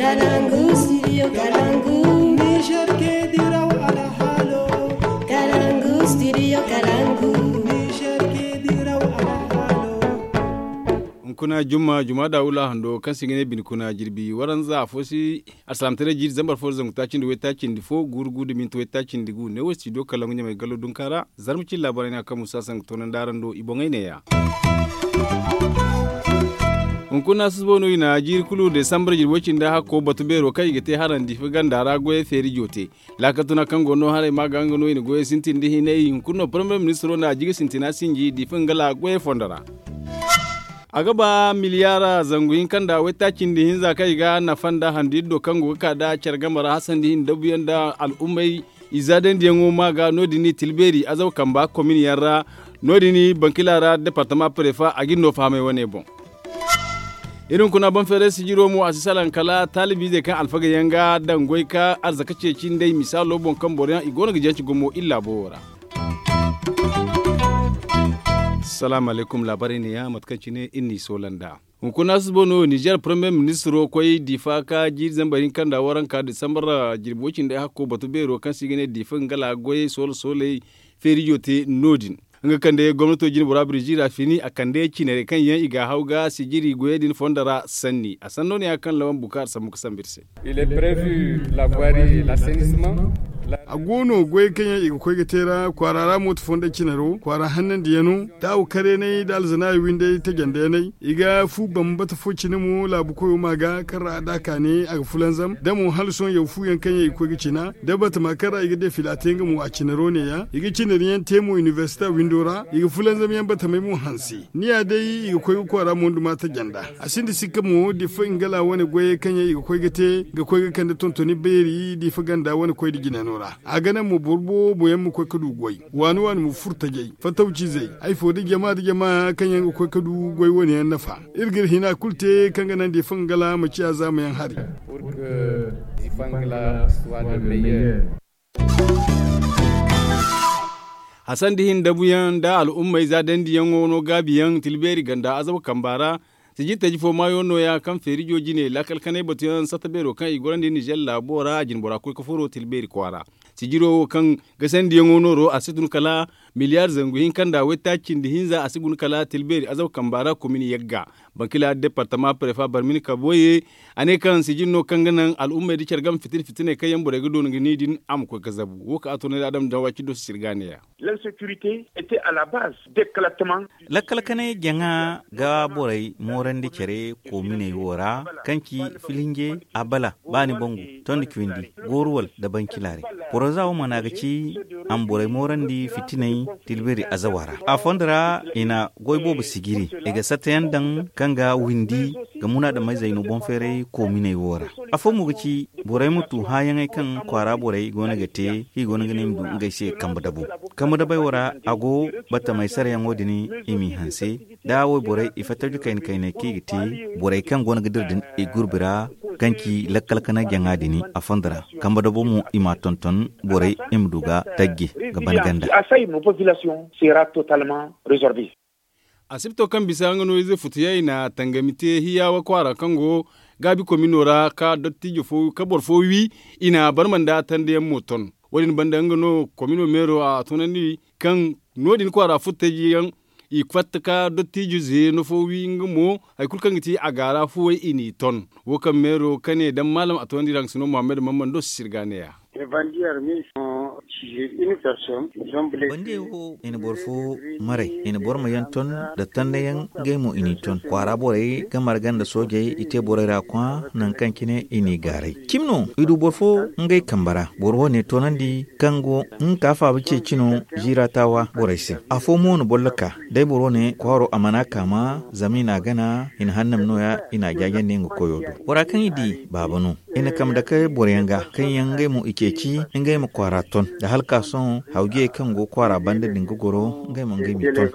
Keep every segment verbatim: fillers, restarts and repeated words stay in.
Kalangu, studio Kalangu. Niger ke diraw alhalo. Kalangu, studio Kalangu. Niger ke diraw alhalo. Hunkuna jumma, juma da wula hando kaŋ se i ga ne bine kuna jirbi waranza afo si. Alsalaamataray jiiri zambar fo da zangu taaci nda waytaaci nda fo guuru guuru da minti waytaaci nda gu ne wo studio Kalangu ɲamay gallo dunka ra. Zarma cine laabaarey no ya kaŋ musa sangu toonandi araŋ do i boŋey neeya. Hunkuna susubo no i na jiiri kulu desambar jirbi way cindi hakko batu beero kaŋ i ga te harandi fa ganda ra goyey feeri joote. Laakal tuna kaŋ go no haray ma ga nga no i na goyey sintin da hinay hunkuna no parmiye ministiro na a jiga sintina sinji difa nga la goyey fondo ra. A ga ba miliyaara zangu hinka nda waytaaci nda hinza kaŋ i ga nafa nda handu iri do kaŋ go ga ka nda care game ra hasandi hinne dabuyaŋ nda al'ummey. I zaadandiyaŋo ma ga no- din i tilbeeri azaw kamba komin yaŋ ra. No- din bankila ra departama prefa a ga iri no fahamay wane boŋ. Iri hunkuna banfeeray sijiro mo a si salaŋ kala taalibiizey kaŋ alfagey yaŋ ga daŋ goy ka arzaka ceeci nd'ey misaalo boŋ kaŋ boro yaŋ i go no ga janci gumo iri laabo wo ra. Salaamu alaykum laabaarey neeya mate kaŋ cine iri n'i soola nd'a. Hunkuna susubo no nizer parmiye ministiro koy difa ka jiiri zambar hinka nda waranka disambar jirbi way cindi hakko batu beero kaŋ se i ga ne difa nga la goyey soola sooley feerijo te no- din. Nga kande gomnato jine bora birji ra fini a kande cinarey kaŋ yaŋ i ga a haw ga sijiri goyey din fondo ra sanni a sanno ne ya kaŋ lawan bukaari sambu ga sambu iri se. A go no goyey kaŋ yaŋ i ga koy ga te ra kwaara ra mooto fondey cinaro kwaara hannandiyaŋo taawu kareenay nda alzanaayi windey tajandeyaŋey i ga fu bambata fo cine mo laabu koyo ma ga kaŋ ra a daaka ne a ga fulanzam da mo hala sohõ yaw fu yaŋ kaŋ yaŋ i ga koy ga cina da batama kaŋ ra i ga defila te nga mo a cinaro neeya i ga cinari yaŋ te mo inibersita windo ra i ga fulanzam yaŋ batamey mo hanse. Ni ya day i ga koy ga kwaara monduma tajanda. A sinda sikka mo difa ngala wane goyey kaŋ yaŋ i ga koy ga te ga koy ga kande tontoni beeri difa ganda wane koy da jinano ra a ga naŋ mo boro boobo yaŋ ma koy ga du goy. Waani waani ma furo tajay fatawcizey ay fo da jama da jama kaŋ yaŋ ga koy ga du goy wane yaŋ nafa. Iri ga iri hina kulu te kaŋ ga naŋ difa ngala ma ciya zaama yaŋ hari. Hasan da hin dabuyaŋ nda al'ummey za dandiyaŋo no gaabiyaŋ tilbeeri ganda azabu kamba ra. Sijir taji fo maayo nooya kaŋ feerijo jine laakal kanay batuyaŋ satta beero kaŋ i gorandi nizer laabo ra a jinbora koy ka furo tilbeeri kwaara. Sijiro wo kaŋ gasandiyaŋo nooro a si tun kala miliyaar zangu hinka nda waytaaci nda hinza a si guna kala tilbeeri azabu kamba ra komin yagga. Bankila departama prefa barmini kaboye a ne kaŋ sijir no kaŋ ga naŋ al'ummey da care game fitina fitiney kaŋ yaŋ borey ga doona ga ni din a ma koy ga zabu wo kaŋ a toonandi adam dawaci do si sirga neeya. Lakkal kanay jaŋa ga borey moorandi care koominey wo ra kaŋ ci filinje abala baani bangu tondi cawindi gooruwal nda bankilaarey. Poroza wo mana ga ci a ma borey moorandi fitiney tilbiri azawa ra a fondo ra i na goy boobo sijiri i ga sattayaŋ daŋ kaŋ ga windi ga munaadamey zayno boŋ feeray koominey wo ra. Afo mo ga ci borey ma tu hããyaŋey kaŋ kwaara borey go no ga te kaŋ i go no ga ne i ma du ngey se kambe dabo. Kambe dabey wo ra a go battamey sarayaŋo din i m'i hanse da wayborey i fatta jukayna kayney kaŋ i ga te borey kaŋ go no ga dira din i gurbi ra kaŋ ci lakkal kanay jaŋa din a fondo ra. Kambe dabo mo i m'a tonton borey i ma du ga tajje ga ban ganda. Asibto kaŋ bisa nga no ize futuyaŋ i na tangami te hiyaawa kwaara kaŋ go gaabi komino ra ka dottijo fo ka boro fo wi i na barma nda tandayaŋ mo ton. Wo- din banda nga no komino meero a tunandi kaŋ no- din kwaara futtejiyaŋ i fatta ka dottijo zeeno fo wi nga mo hari kulu kaŋ ga ti a gaara fuwey i n'i ton. Wo kaŋ meero kane daŋ maalam a tunandi ra nga si no muhammad mammando si sirga neeya. Bandiye wo i na boro fo maray i na boro ma yaŋ ton nda tandayaŋ ngey mo i n'i ton kwaara borey ga marga nda soojey i te borey ra kwaa nangu kaŋ cine i n'i gaaray. Cimi no i du boro fo ngey kambe ra boro wo ne toonandi kaŋ go nga ka faaba ceeci no ziira taawa borey se. Afo mo na bollo ka day boro ne kwaaro a mana kaama zama i n'a gana i na hannam nooya i n'a jaajandi nga koyo do. Bora kaŋ i di baaba no i na kambe dake boroyaŋ ga kaŋ yaŋ ngey mo i ceeci ngey ma kwaara ton nda hala ka sohõ hawjiyey kaŋ go kwaara banda din ga goro ngey mo ngey m'i ton.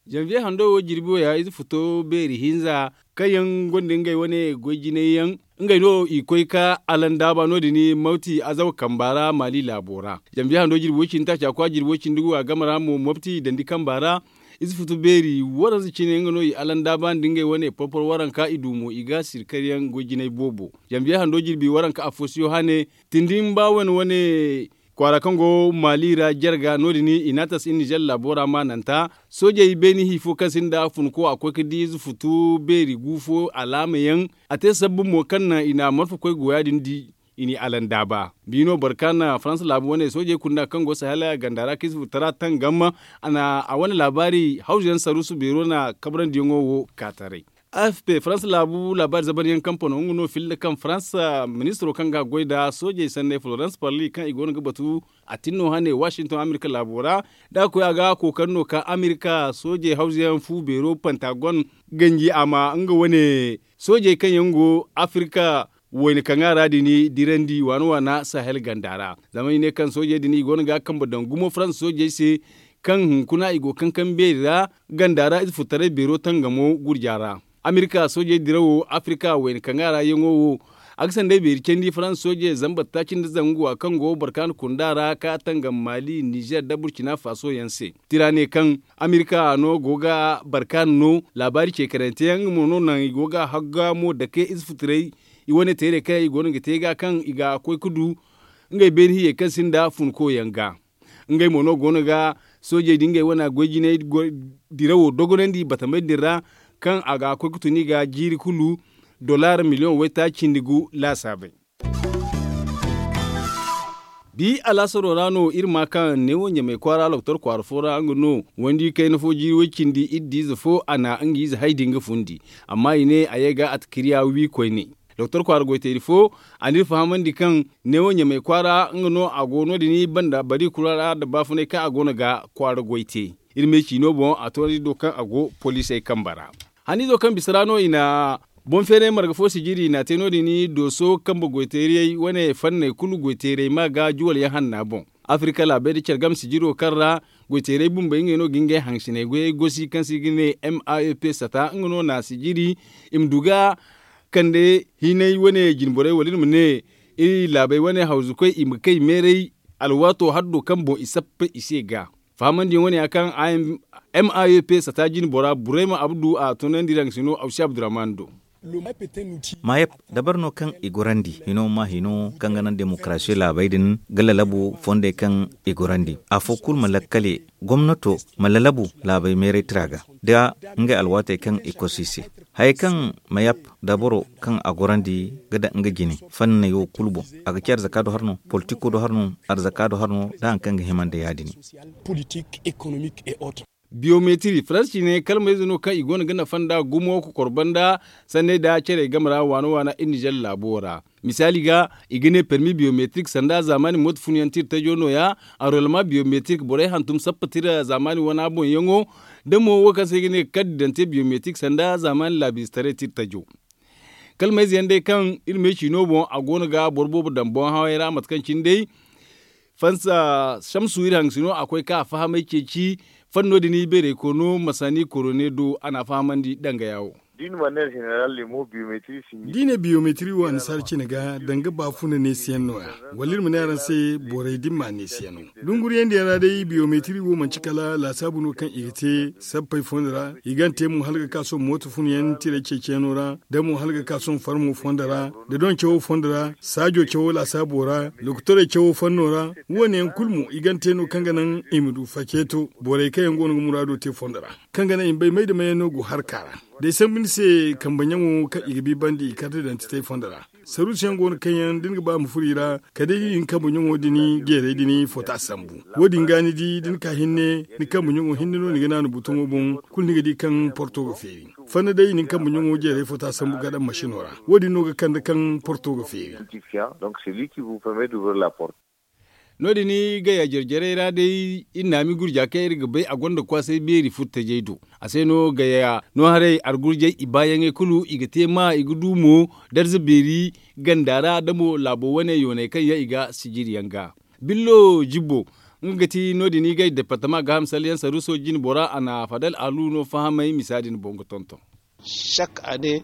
Janviye hando wo jirbi wo ya ize futo beeri hinza kaŋ yaŋ gonda ngey wane goy jinay yaŋ ngey no i koy ka alandaaba no- din mawti azawa kamba ra maali laabo ra. Janviye hando jirbi way cindi taaca kwa jirbi way cindi gu a game ra mo mawti dandi kamba ra. Ize futu beeri waranza cine nga no i alandaaba nda ngey wane porpor waranka i du mo i ga sirkar yaŋ goy jinay boobo. Zambiya hando jirbi waranka afo si yohane tindin ba wane wane kwaara kaŋ go maali ra jarga no- din i n'a tasa i nizer laabo ra maananta. Soojey beeni hi fo kaŋ sinda funko a koy ga di ize futu beeri gu fo alaama yaŋ. A te sabbu mo kaŋ naŋ i na marfa koy go ya- din di i n'i alandaaba. Biino barkaana faransa laabu wane soojey kunda kaŋ go sahel ganda ra kaŋ i si furtara tangam. A na a wane laabaari hawzu yaŋ saruusu beero na kabrandiyaŋo wo ka taray. Afp faransa laabu laabaari zabanyaŋ kampano nga no filla kaŋ faransa ministiro kaŋ ga a goy nda soojey sanney florence parli kaŋ i go no ga batu a tin no hane washington amerika laabo ra. Da a koy a ga kookari no ka amerika soojey hawzu yaŋ fu beero pantagon ganji a ma nga wane soojey kaŋ yaŋ go afirka wayna kaŋ a ra din dirandi waana waana sahel ganda ra. Zama i ne kaŋ soojey din i go no ga a kambe daŋ gumo faransa soojey se kaŋ hunkuna i go kankam beeri ra ganda ra ize furtaray beero tangamo gurja ra. Amerika soojey dirawo afirka wayna kaŋ a ra yaŋo wo a ga sanday beeri candi faransa soojey zambar taaci nda zangu a kaŋ go barkaana kunda ra ka tangam maali nizer da burcina faso yaŋ se. Tira ne kaŋ amerika no go ga barkaana no laabaari ceekarante yaŋ nga mo no naŋ i go ga haggamo dake ize futuray i wane teerey kaŋ i go no ga te ga kaŋ i ga koy ga du ngey beeri hiyey kaŋ sinda funko yaŋ ga. Ngey mo no go no ga soojey din ngey wane goy jinay dirawo dogonandi batamey din ra kaŋ a ga koy ga tun i ga jiiri kulu dollar miliyoŋ waytaaci cindi gu laasaabey. Bi alaasaro ra no iri ma kaŋ neewo ɲamay kwaara loktor kwaara fo ra nga no wandi kayna fo jiiri way cindi iri di ize fo a na nga ize hay din ga fundi. Amma i ne a ye ga a ta kiriya wi koyne. Doktor kwaara goyteeri fo a n'iri fahamandi kaŋ neewo ɲamay kwaara nga no a go no- din banda bari kulu ra nda baafunay kaŋ a go no ga kwaara goy te. Iri me ciino boŋ a toonandi do kaŋ a go poliisey kambe ra. Haniizo kaŋ bisa ra no i na boŋ feeray marga fo sijiri i n'a te no- din dooso kambe goyteerey wane fanney kulu goyteerey ma ga juwal yaŋ hanna boŋ. Afirka laabey nda care game sijiro kaŋ ra goyteerey bumbey ngey no ga ngey hansiney goyey gosi kaŋ se i ga ne m a e p sata nga no na sijiri i ma du ga kande hinay wane jinborey wala iri ma ne iri laabey wane hawzukoy i ma kay meeray alwaato haddo kaŋ boŋ i sappey i se ga. Fahamandiyaŋ wane ya kaŋ m a e p sata jinbora burayma abdu a tunandi raŋ sino awsi abdurrahman do. Mayap dabar no kaŋ i gorandi hino ma hino kaŋ ga naŋ demokarasiyo laabey din ga lalabu fondey kaŋ i gorandi afo kulu ma lakkale gomnato ma lalabu laabey meeray tira ga da ngey alwaatey kaŋ i kosu i se. Hayey kaŋ mayap dabaro kaŋ a gorandi ga daŋ nga jine fanney wo kulu boŋ a ga ci arzaka do har no politiko do har no arzaka do har no da hari kaŋ ga hima nda ya- din. Biyometiri faransi ciine kalmayze no kaŋ i go no ga nafa nda gumo ga korba nda sanney nda care game ra waana waana iri nizer laabo ra. Misaali ga i ga ne permi biyometrik sanda zaamaani mooto funyaŋ tira tajo no- ya. Anrolma biyometrik borey hantum sappa tira zaamaani wana boŋ yaŋo da mo wo kaŋ se i ga ne kaddi dante biyometrik sanda zaamaani laabiize taray tira tajo. Kalmayze yaŋ day kaŋ iri me ciino boŋ a go no ga boro boobo daŋ boŋ hawey ra mate kaŋ cine day fansa samsu iri hangasino a koy ka a fahamay ceeci fanno din ibeerey koono masani korone do a n'a fahamandi dangaya wo. Da i ne biyometiri wo annasaara cine ga danga baafuna neesiyaŋ no- ya wala iri ma ne araŋ se borey da ni m'a neesiyaŋo dunguriyaŋ din ra day biyometiri wo manci kala laasaabu no kaŋ i ga te sappey fooyaŋ ra i g'a te mo hala ga ka sohõ mooto funayaŋ tiray ceeciyaŋo ra da mo hala ga ka sohõ farmo fondo ra da doŋ cawo fondo ra saajo cawo laasaabo ra lokotorey cawo fanno ra. Wo- ne yaŋ kulu mo i g'a te no kaŋ ga naŋ i ma du faceeto borey kaŋ yaŋ go no ga muraado te fondo ra kaŋ ga naŋ i ma bay may da may yaŋ no go harka ra. Day sambu ni se kambe ɲaŋo kaŋ i ga bi banda i karte daŋ titay fondo ra saruusiyaŋ go no kaŋ yaŋ da ni ga ba ma furo i ra kala day da i na kambe ɲaŋo din jeeray din foto a sambu. Wo- din ga ni di da ni ka hinne ni kambe ɲaŋo hinne no ni ga naanu butoŋo boŋ kulu ni ga di kaŋ porto ga feeri. Fanna day i na ni kambe ɲaŋo jeeray foto a sambu ga daŋ masino ra wo- din no ga kande kaŋ porto ga feeri. No- din gaya jare jare ra day iri naami gurja kaŋ iri ga bay a gonda kwaasay beeri furtajey do. A se no gaya no haray argurjey i baayaŋey kulu i ga te ma i ga du mo darza beeri ganda ra da mo laabo wane yoonay kaŋ yaŋ i ga sijiri yaŋ ga. Billo jibbo nga ga ti no- din i gay departama gaaham salyaŋ saruuso jine bora a na fadal alu no fahamay misa din boŋ ga tonton. Saka ne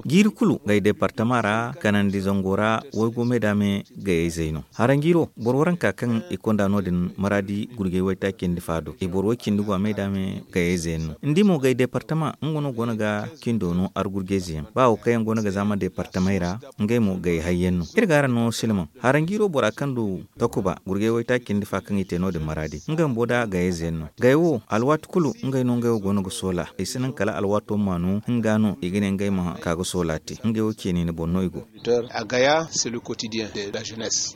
Jiiri kulu gay deepartama ra kanandi zango ra waygu me da me gayey zay no. Haranjiiro boro waranka kaŋ i konda no- din maraadi gurjey waytaaci nda faado i boro way cindi go a me da me gayey zay no. Ni di mo gay deepartama nga no go no ga cindo no argurjey zay yaŋ ba wo kaŋ yaŋ go no ga zaama deepartamey ra. Ngey mo gay hayyaŋ no iri ga araŋ no silmaŋ. Haranjiiro bora kaŋ du takuba gurjay waytaaci nda fa kaŋ i te no- din maraadi nga bumbo da gayey zay yaŋ no. Gay wo alwaati kulu ngey no ngey wo go no ga soola i si naŋ kala alwaato ma no nga no i ga ne ngey ma ka ga soola te ngey wo ceeni ni boŋ no i go. Agaya c'est le quotidien de la jeunesse.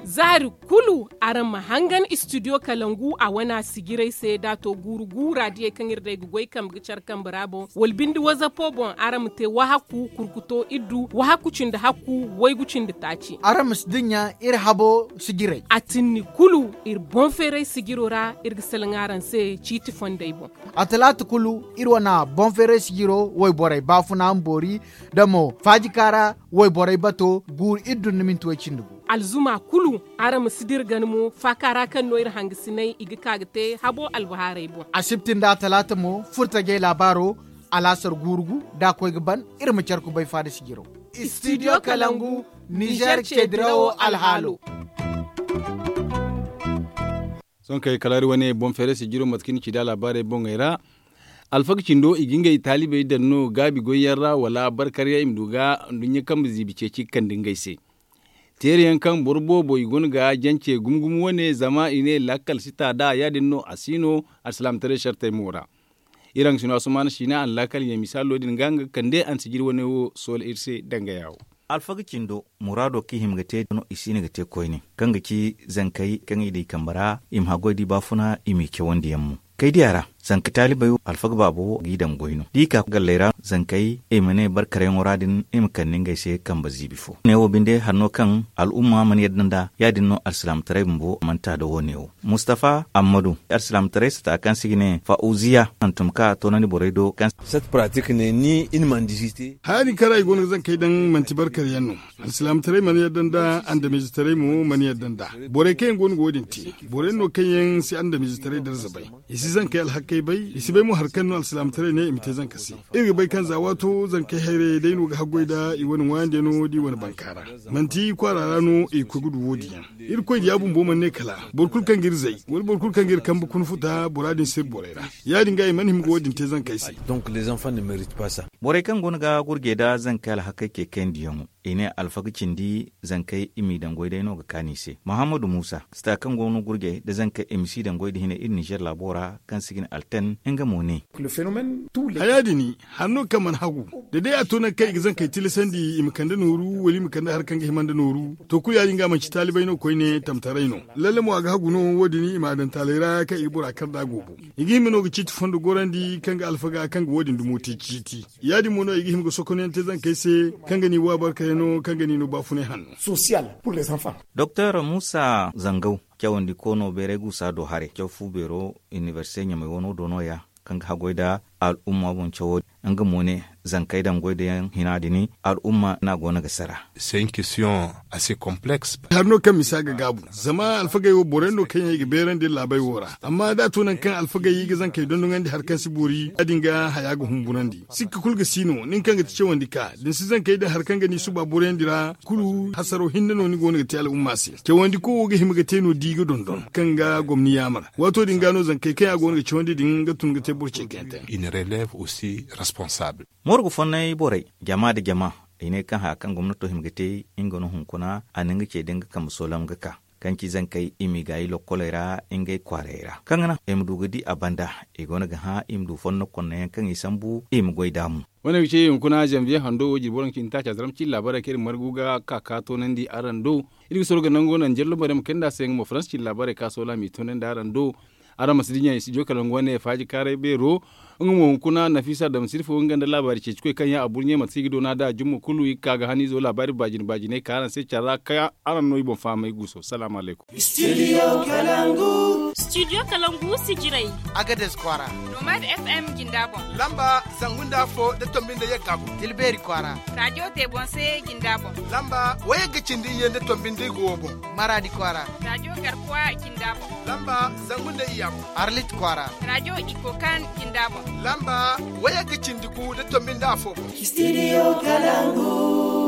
Zaari kulu araŋ ma hangan studio kalangu a wana sijiray se da a to guuru guura diyey kaŋ iri day ga goy kambe ga care kambe ra boŋ wala binde wazapo boŋ araŋ ma te wahakku kurkuto iddu wahakku cindi hakku waygu cindi taaci. Araŋ ma si dinya iri habo sijiray a tinni kulu iri boŋ feeray sijiro ra iri ga salaŋ araŋ se ciiti fondey boŋ. A talaata kulu iri wana boŋ feeray sijiro wayborey baafuna ma boori da mo faajika ra wayborey bato guuru iddu nda minti way cindi gu. Alzuma kulu araŋ ma si dira gan mo faaka ra kaŋ no iri hangasinay i ga ka ga te habo albahaarey boŋ. Asibti nda atalaata mo furtajey laabaaro alaasar guuru gu da a koy ga ban. Iri ma care kubay faada sijiro. Studio kalangu nizer ce dirawo alhaalo. Sohõ kay kala iri wane boŋ feeray sijiro mate kaŋ ni ci da laabaarey boŋey ra. Alfaga cindo i ga ngey taalibey daŋ no gaabi goyyaŋ ra wala barkaryaŋ i ma du ga nduɲɲa kambe ziibi ceeci ga kande ngey se. Teerayaŋ kaŋ boro boobo i go no ga jance gumo gumo wane zama i ne lakkal si ta da ya- din no a si no alsilaamataray sartey mo ra. Iri hangasino asumaana siina a na laakal ɲa misaalo din ga nga ga kande a na sijiri wane wo soola iri se dangaya wo. Alfaga cindo muraado kaŋ i hima ga te no i si no ga te koyne kaŋ ga ci zankey kaŋ i daŋ i kambe ra i ma haggoy da i baafuna i m'i cawandi yaŋ mo. Kay diya ra zanka taalibey wo alfaga baabo wo ga i daŋ goy no da i ka galley ra zankey i ma ne barkarayyaŋo ra din i ma kande ngey se kambe ziibi fo ne wo binde hanno kaŋ al'umma mana yadda nd'a ya- din no alsilaamataray bumbo mana ta da wo- ne wo. Mustafa ammadu alsilaamataray sata kaŋ se i ga ne fa'uziya hantum kaŋ a toonandi borey do kaŋ se. Haya din kaŋ ra i go no ga zankey daŋ manti barkaryaŋ no. Alsilaamataray mana yadda nd'a andamiizetaray mo mana yadda nd'a. Borey kaŋ yaŋ go no ga wo- din te borey no kaŋ yaŋ si andamiizetaray darza bay. I si zankey alhakkey bay i si bay mo hari kaŋ no alsilaamataray ne i ma te zanka se. Iri ga bay kaŋ za waato zankey hayrayey day no ga haggoy nd'a i wane ŋwaayandiyaŋo da i wane bankaara. Manti kwaara ra no i ga koy ga du wo- din yaŋ. Irkoy diya bumbo mana ne kala boro kulu kaŋ ga iri zay wala boro kulu kaŋ ga iri kambe kuna futa bora din si iri borey ra. Ya- din ga i mana hima ga wo- din te zankey se. Borey kaŋ go no ga gurjey nda zankey alhakey ce kayandi yaŋo i ne alfaga cindi zankey i m'i daŋ goy day no ga kaanu i se muhammadu muusa sita kaŋ go no gurjey nda zankey i ma si daŋ goy nda hina iri nizer laabo ra kaŋ se i ga ne alten nga mo ne. Haya din hari no kaŋ mana hagu da day a to nangu kaŋ i ga zankey tilasandi i ma kande nooru wala i ma kande hari kaŋ ga hima nda nooru. To kulu ya- din ga manci taalibey no koyne tamtaray no. Lalle mo a ga hagu no wo- din i m'a daŋ taaley ra kaŋ i ga bora kar nd'a goobo. I ga hima no ga ciiti fondo gorandi kaŋ ga alfaga kaŋ ga wo- din dumo te ciiti. Ya- din mo no i ga hima ga sokonyaŋ te zankey se kaŋ ga n'i wa barkayaŋo kaŋ ga n'i no baafunay hanno. Doktor muusa zangaw cawandi koono beeray guusa do haray caw fu beero inibersite ɲamay wano do no- ya kaŋ ga haggoy nda al'umma boŋ cawo din nga mo ne zankey daŋ goy da yaŋ hina din al'umma no a go no ga sara. Hari no kaŋ misa ga gaabu zama alfagey wo boro yaŋ no kaŋ yaŋ i ga beerandi iri laabey wo ra amma da a to nangu kaŋ alfagey i ga zankey dondoŋandi hari kaŋ si boori ya- din ga haya ga humburandi. Sikka kulu ga si no nin kaŋ ga ti cawandi ka da ni si zankey daŋ hari kaŋ ga ni suba boroyandi ra kulu hasaro hinne no ni go no ga te al'umma se. Cawandi ko wo ga hima ga te no da i ga dondon kaŋ ga gomni yaamar. Waato din ga no zankey kaŋ yaŋ a go no ga cawandi din ga tun ga te boro ce kaŋ yaŋ te. Morgu fonnay borey jama nda jama i ne kaŋ haya kaŋ gomnato hima ga te nga no hunkuna a na nga ce da nga kambe soolam ga ka kaŋ ci zankey i m'i gaayi lokkoley ra ngey kwaarayey ra kaŋ ga naŋ i ma du ga di a banda. I go no ga hã i ma du fonno konno yaŋ kaŋ i sambu i ma goy daamu. Wane ga ce hunkuna zanviye hando wo jirbi waranka cindi taaca zaram cindi laabaarey kaŋ iri margu ga ka ka toonandi araŋ do. Iri ga soro ga nango naŋ jallo maryaŋ ma kayndi a se nga mo faransa cindi laabaarey ka soola m'i toonandi araŋ do. Araŋ ma si dinya i studio kalangu wane faaji kaaray beero. Nga mo hunkuna nafisa damsir fo nga nda laabaari ceecikoy kaŋ yaŋ a burɲe mate se i ga doona da jumma kulu i ga ka ga haniizo laabaari baajine baajiney ka araŋ se care ra ka araŋ no i boŋ fahamay guuso salaamu alaykum. Studio kalangu sijirey agades kwaara. Nomad fm jinda boŋ lamba zangu nda afo da tombi nda yagga boŋ tilbeeri kwaara. Radiyo tebonse jinda boŋ lamba wayagga cindi iyye nda tombi nda igo wo boŋ. Maraadi kwaara. Radiyo garkuwa jinda boŋ lamba zangu nda iyya boŋ. Arlit kwaara. Radiyo ikokan jinda boŋ. Lamba waya ga cindi gu da tombi nda afo boŋ. Studio Kalangu.